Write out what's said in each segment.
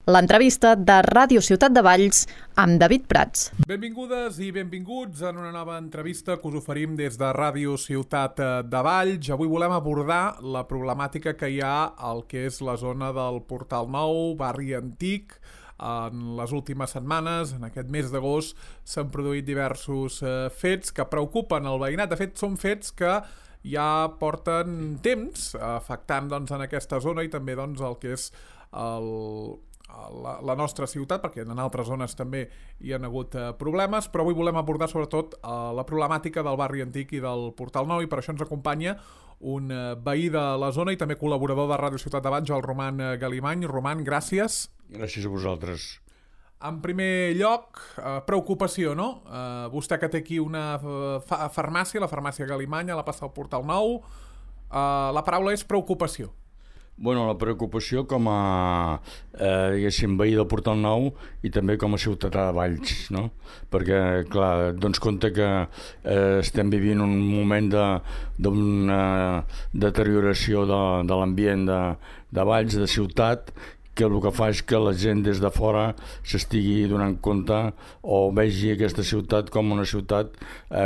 l'entrevista de Ràdio Ciutat de Valls amb David Prats. Benvingudes i benvinguts en una nova entrevista que us oferim des de Ràdio Ciutat de Valls. Avui volem abordar la problemàtica que hi ha al que és la zona del Portal Nou, barri antic. En les últimes setmanes, en aquest mes d'agost, s'han produït diversos fets que preocupen el veïnat. De fet, són fets que ja porten temps afectant en aquesta zona i també el que és la nostra ciutat, perquè en altres zones també hi ha hagut problemes, però avui volem abordar sobretot la problemàtica del barri antic i del Portal Nou, i per això ens acompanya un veí de la zona i també col·laborador de Ràdio Ciutat de Valls, el Roman Galimany. Roman, gràcies. Gràcies a vosaltres. En primer lloc, preocupació, no? Vostè que té aquí una farmàcia, la farmàcia Galimany, a la plaça del Portal Nou. La paraula és preocupació. Bueno, la preocupació com a, diguéssim, veí del Portal Nou i també com a ciutadà de Valls, no? Perquè, clar, dones compte que estem vivint un moment d'una deterioració de l'ambient de Valls, de ciutat, que el que fa és que la gent des de fora s'estigui donant compte o vegi aquesta ciutat com una ciutat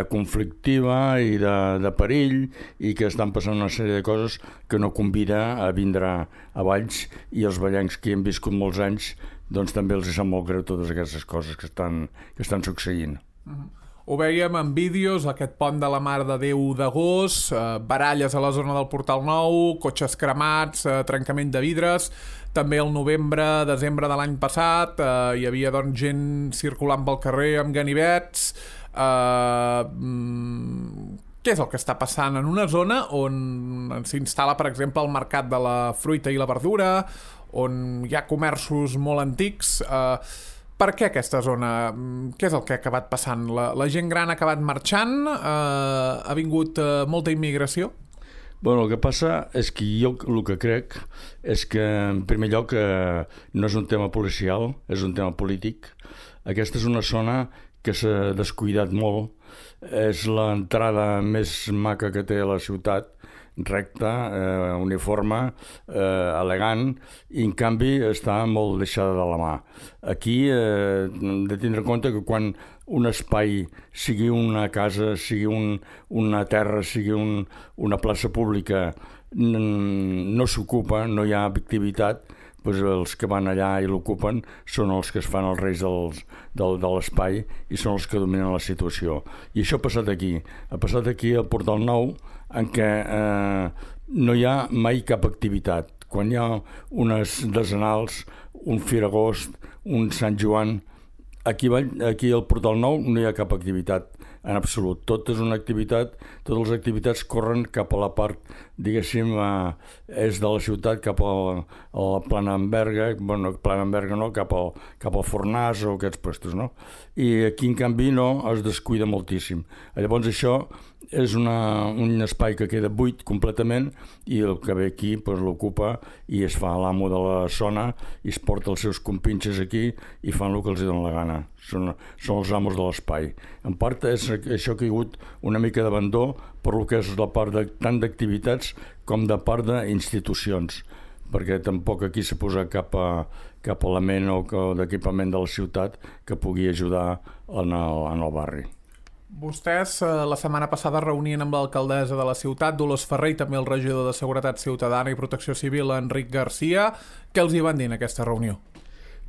conflictiva i de perill, i que estan passant una sèrie de coses que no convida a vindre a Valls, i els vallencs que hi han viscut molts anys doncs també els sap molt greu totes aquestes coses que estan succeint. Ho veiem en vídeos, aquest pont de la Mare de Déu d'agost, baralles a la zona del Portal Nou, cotxes cremats, trencament de vidres. També el novembre, desembre de l'any passat, hi havia gent circulant pel carrer amb ganivets. Què és el que està passant en una zona on s'instal·la, per exemple, el mercat de la fruita i la verdura, on hi ha comerços molt antics? Per què aquesta zona? Què és el que ha acabat passant? La gent gran ha acabat marxant? Ha vingut molta immigració? Bueno, el que passa és que jo el que crec és que, en primer lloc, no és un tema policial, és un tema polític. Aquesta és una zona que s'ha descuidat molt. És l'entrada més maca que té la ciutat, recta, uniforme, elegant, i en canvi està molt deixada de la mà. Aquí hem de tindre en compte que quan un espai, sigui una casa, sigui una terra, sigui una plaça pública, no s'ocupa, no hi ha activitat, doncs els que van allà i l'ocupen són els que es fan els reis de l'espai i són els que dominen la situació. I això ha passat aquí. Ha passat aquí al Portal Nou, en què no hi ha mai cap activitat. Quan hi ha unes desenals, un Firagost, un Sant Joan, aquí al Portal Nou no hi ha cap activitat en absolut. Tot és una activitat, totes les activitats corren cap a la part, diguéssim, és de la ciutat cap a la Planenberga, bueno, Planenberga no, cap al Fornàs o aquests puestos, no? I aquí, en canvi, no, es descuida moltíssim. Llavors això és un espai que queda buit completament, i el que ve aquí l'ocupa i es fa l'amo de la zona i es porta els seus compinxes aquí i fan el que els dona la gana. Són els amos de l'espai. En part és això que hi ha hagut una mica d'abandó per el que és la part tant d'activitats com de part d'institucions, perquè tampoc aquí s'ha posat cap element o d'equipament de la ciutat que pugui ajudar en el barri. Vostès la setmana passada reunien amb l'alcaldessa de la ciutat, Dolors Ferrer, i també el regidor de Seguretat Ciutadana i Protecció Civil, Enric Garcia. Què els hi van dir en aquesta reunió?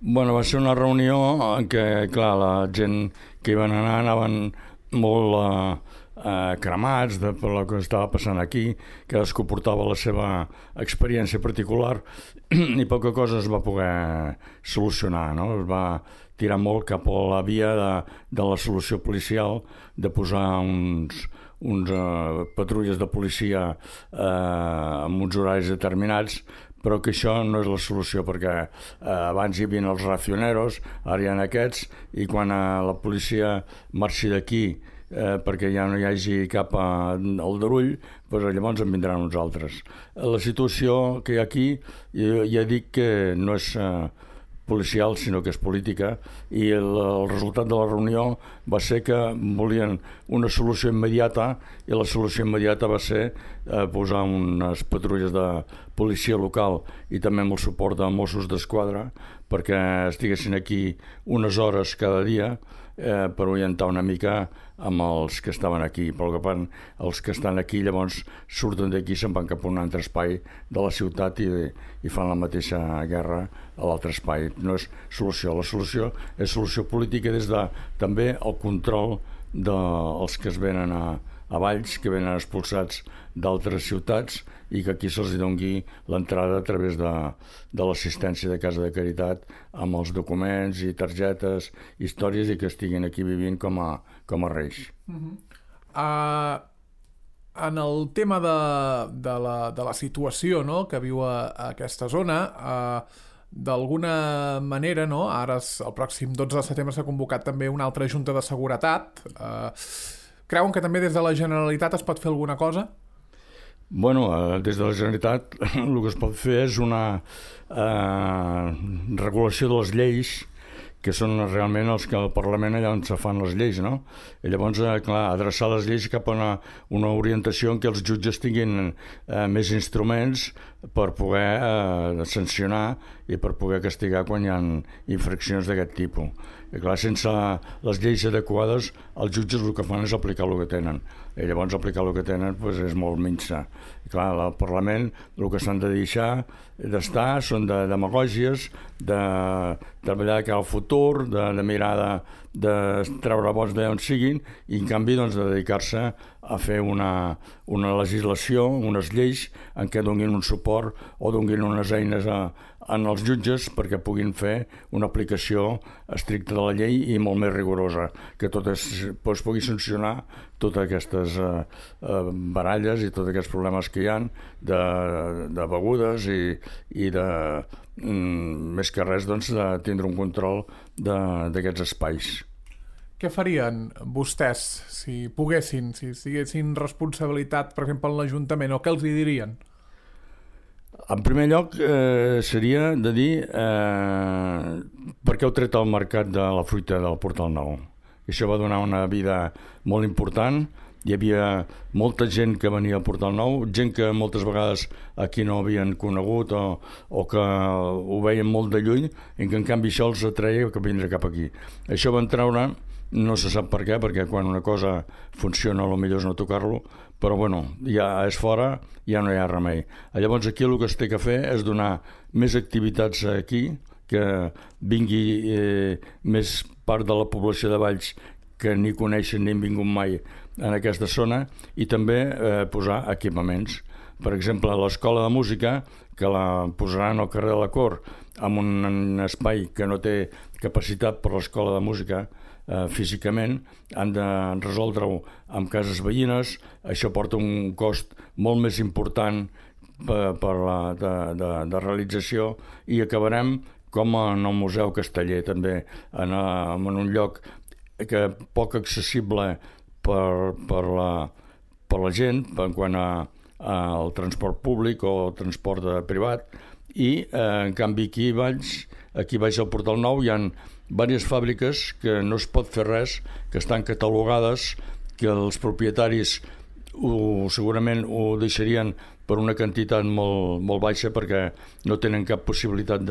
Bueno, va ser una reunió en què, clar, la gent que hi van anar anaven molt cremats per el que estava passant aquí, cadascú portava la seva experiència particular i poca cosa es va poder solucionar, no? Es va tirar molt cap a la via de la solució policial, de posar uns patrulles de policia amb uns horaris determinats, però que això no és la solució, perquè abans hi havia els racioneros, ara hi ha aquests, i quan la policia marxi d'aquí perquè ja no hi hagi cap aldarull, doncs llavors en vindran uns altres. La situació que hi ha aquí, ja dic que no és policial, sinó que és política, i el resultat de la reunió va ser que volien una solució immediata, i la solució immediata va ser posar unes patrulles de policia local i també amb el suport de Mossos d'Esquadra perquè estiguessin aquí unes hores cada dia per orientar una mica amb els que estaven aquí. Però els que estan aquí llavors surten d'aquí i se'n van cap a un altre espai de la ciutat i fan la mateixa guerra a l'altre espai. No és solució. La solució és solució política des de també el control dels que es venen a Valls, que venen expulsats d'altres ciutats i que aquí se'ls doni l'entrada a través de l'assistència de Casa de Caritat amb els documents i targetes, històries, i que estiguin aquí vivint com a reis. En el tema de la situació, no?, que viu a aquesta zona, d'alguna manera, no?, ara el pròxim 12 de setembre s'ha convocat també una altra Junta de Seguretat. Creuen que també des de la Generalitat es pot fer alguna cosa? Bueno, des de la Generalitat el que es pot fer és una regulació de les lleis, que són realment els que al Parlament allà on se fan les lleis, no? I llavors, clar, adreçar les lleis cap a una orientació en què els jutges tinguin més instruments per poder sancionar i per poder castigar quan hi ha infraccions d'aquest tipus. I clar, sense les lleis adequades, els jutges el que fan és aplicar el que tenen. I llavors aplicar el que tenen és molt minsa. I clar, al Parlament el que s'han de deixar d'estar són de demagògies, de treballar de cara al futur, de mirar de treure vots d'on siguin, i en canvi de dedicar-se a fer una legislació, unes lleis en què donin un suport o donin unes eines als jutges perquè puguin fer una aplicació estricta de la llei i molt més rigorosa, que es pugui sancionar totes aquestes baralles i tots aquests problemes que hi ha de begudes i de més que res de tindre un control d'aquests espais. Què farien vostès si poguessin, si tinguessin responsabilitat, per exemple, en l'Ajuntament, o què els hi dirien? En primer lloc, seria de dir per què heu tret al mercat de la fruita del Portal Nou. Això va donar una vida molt important. Hi havia molta gent que venia al Portal Nou, gent que moltes vegades aquí no havien conegut o que ho veien molt de lluny, i que en canvi això els atreia que vindre cap aquí. Això van treure, no se sap per què, perquè quan una cosa funciona el millor és no tocar-lo, però bueno, ja és fora, ja no hi ha remei. Llavors aquí el que es té que fer és donar més activitats aquí, que vingui més part de la població de Valls que ni coneixen ni han vingut mai en aquesta zona, i també posar equipaments. Per exemple, l'escola de música, que la posaran al carrer de la Cor, en un espai que no té capacitat per l'escola de música físicament, han de resoldre-ho amb cases veïnes. Això porta un cost molt més important de realització, i acabarem com en el Museu Casteller, també en un lloc que poc accessible per la gent en quant al transport públic o al transport privat, i en canvi aquí baix al Portal Nou hi ha diverses fàbriques que no es pot fer res, que estan catalogades, que els propietaris segurament ho deixarien per una quantitat molt baixa perquè no tenen cap possibilitat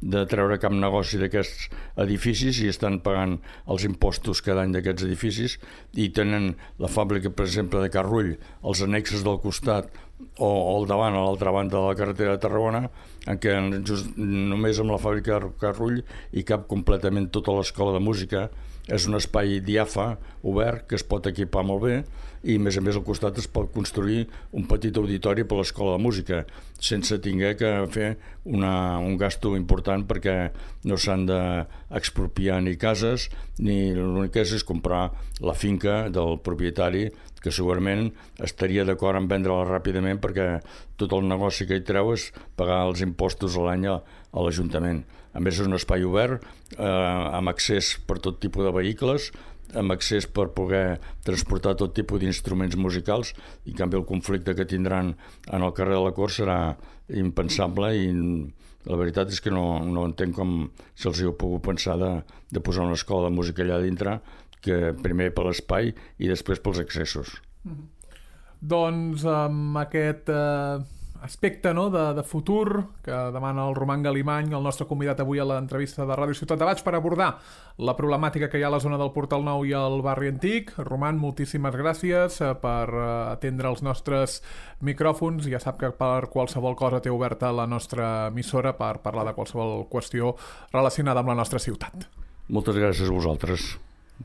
de treure cap negoci d'aquests edificis, i estan pagant els impostos cada any d'aquests edificis, i tenen la fàbrica, per exemple, de Carrull, els annexes del costat o al davant, a l'altra banda de la carretera de Tarragona, en què només amb la fàbrica de Carrull hi cap completament tota l'escola de música. És un espai diàfan, obert, que es pot equipar molt bé, i a més al costat es pot construir un petit auditori per l'escola de música sense haver que fer un gasto important, perquè no s'han d'expropiar ni cases, ni l'únic que és comprar la finca del propietari, que segurament estaria d'acord en vendre-la ràpidament, perquè tot el negoci que hi treu és pagar els impostos a l'any a l'Ajuntament. A més, és un espai obert, amb accés per tot tipus de vehicles, amb accés per poder transportar tot tipus d'instruments musicals, i en canvi el conflicte que tindran en el carrer de la Cor serà impensable, i La veritat és que no entenc com se'ls hi ha pogut pensar de posar una escola de música allà dintre, que primer per l'espai i després pels accessos. Doncs amb aquest aspecte de futur que demana el Roman Galimany, el nostre convidat avui a l'entrevista de Ràdio Ciutat de Valls, per abordar la problemàtica que hi ha a la zona del Portal Nou i el barri antic. Roman, moltíssimes gràcies per atendre els nostres micròfons. Ja sap que per qualsevol cosa té oberta la nostra emissora per parlar de qualsevol qüestió relacionada amb la nostra ciutat. Moltes gràcies a vosaltres.